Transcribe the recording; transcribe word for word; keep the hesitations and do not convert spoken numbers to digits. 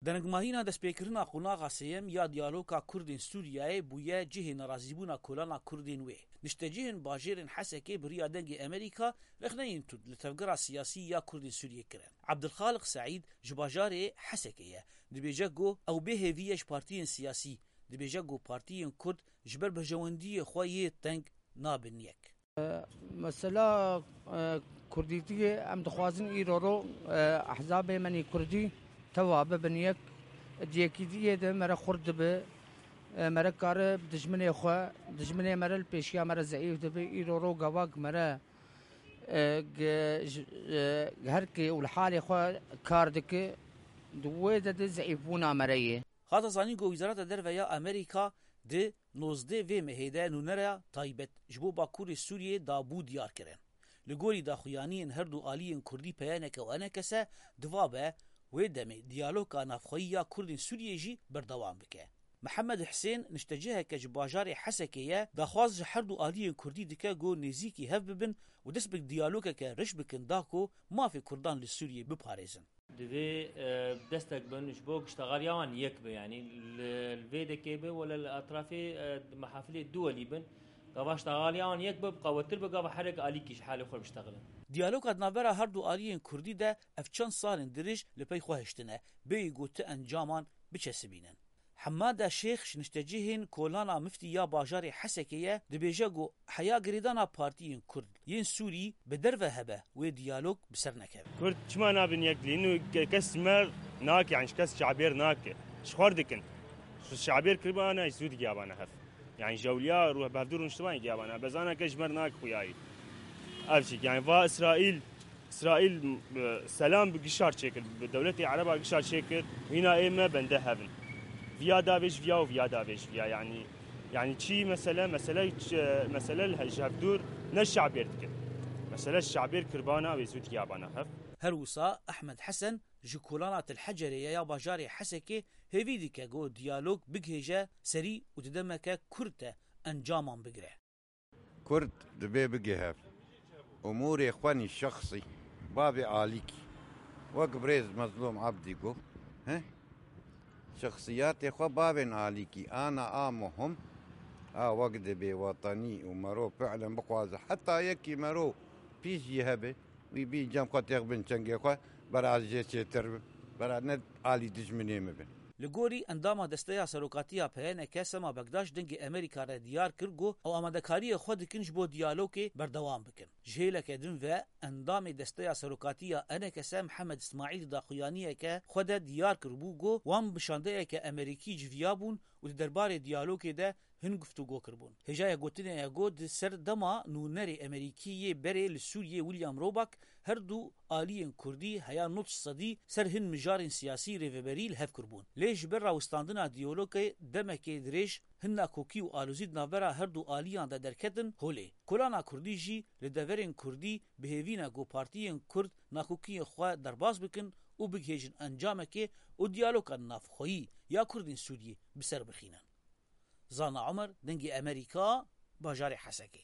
Denengmahîna destpêkirina qonaxa sêyem ya diyaloga Kurdên Sûriyeyê bûye cihê nerazîbûna kolana Kurdên wê. Niştecihên bajêrên Hesekê bi riya Dengê Amerîka rexneyên tund li tevgera siyasî ya Kurdên Sûriyê kirin. Ebdulxaliq Seîd ji bajarê Hesekê ye. Dibêje ku ew bêhêvî ye ji partiyên siyasî. Dibêje ku partiyên Kurd ji ber berjewendiyê xwe yê teng nabin yek. Mesela, e, Kurdîtiyê em dixwazin îro ro, e, ehzabê me nî Kurdî teva bibin yek. Di yekîtiyê de me re xurt dibe, e, me re kare dijminê xwe, dijminê me re li pêşiya me re zeîf dibe. Îro ro gava ku me re, e, g-, ji, e, herkê û li halê xwe kar dike, di wê de de zeîfbûna me re ye. Hate zanîn ku Wezareta Derve ya Amerîka di nozdeh vê mehê de nûnereya taybet ji bo Bakurê Sûriyê dabû diyar kirin. Li gorî daxuyaniyên her du aliyên Kurdî P Y N K û E N K S, divabe wê demê diyaloga navxweyî ya Kurdên Sûriyê jî berdewam bike. Mihemed Hisên nişteciheke ji bajarê Hesekê ye, daxwaz ji her du aliyên Kurdî dike ku nêzîkî hev bibin û dest bi diyalogeke riş bikin da ku mafê Kurdan li Sûriyê biparêzin. Divê, e, destek bin ji bo ku ştexaliya wan yek be, yanî li, li vê dekê be wele li etrafê, e, mehafilê duwelî bin. Gava ştexaliya wan yek be, bi qewettir be, gava herek alîkî ji halê xwe biştexilin. Diyaloga di navbera her du aliyên Kurdî de ev çend salên dirêj li pey xwe hiştine, bêyî ku ti encaman biçesibînin. Hemada Şêx ji niştecihên Kolana Miftî ya bajarê Hesekê ye, dibêje ku heya girêdana partiyên Kurd yên Sûrî bi derve hebe wê diyalog bi ser nekeve. Kurd çima nabin yek dilî? Inu ke-, kes mer nake, yani ji kes çabêr nake. Ji xwe dikin. Ji çabêr kiribana, zû digiya bana hev. Yani ji ewliya rû-, bi hevdû rûniştibanê giya bana. Bezana ke ji mer nake xuyayî. Ev çî, yani va Îsraîl, Îsraîl, e, selam bi gişar çêkir, bi dewletê Ereba gişar çêkir. Hîna ê me bende hevin. Viya davê ji viya û viya davê ji viya, yani, yani çi mesele, mesele, e, mesele li he-, ji hevdûr ne şabêr dikin. Mesele şabêr kirbana wê zû digiya bana hev. Her wisa Ehmed Hesen ji Kolana Til Hecerê ya bajarê Hesekê hêvî dike ku diyalog bigihêje serî û di demeke kurt de encaman bigire. Kurd dibê bige hev. Umûrê xwe nî şexsî, bavê alîkî. Wek birêz Mezlûm Ebdî got, he? Şexsiyatê xwe bavên alîkî ana a muhim, a wek dibê wetenî û mero fi'len bixwaze. Heta yekî mero pîs jî hebe, wî bî cem xwe têx bin çengê xwe, bera ez jê çêtir bim, bera ne alî dijminê min bin. Li gorî endama Desteya Serokatiya P Y N K Sema Bekdaş Dengê Amerîka re diyar kir ku ew amadekariyê xwe dikin ji bo diyalogê berdewam bikin. Ji hêleke din ve endamê Desteya Serokatiya E N K S Mihemed Îsmaîl di daxuyaniyeke xwe de diyar kiribû ku wan bi şandeyeke Amerîkî civiyabûn û di derbarê diyalogê de hin guftûgo kiribûn. Hêjaya gotinê ye ku di ser dema nûnerê Amerîkî yê berê li Sûriyê William Roebuck her du aliyên Kurdî heya nod sedî ser hin mijarên siyasî rêveberî li hev kiribûn. Lê ji ber rawestandina diyalogê demekê dirêj hin nakokî û alozî di navbera her du aliyan de derketin holê. Kolana Kurdî jî li deverên Kurdî bi hêvî ne ku partiyên Kurd nakokiyên xwe derbas bikin û bigihêjin encamekê û diyaloga navxweyî ya Kurdên Sûriyê bi ser bixînin. Zana Omer, Dengê Amerîka, bajarê Hesekê.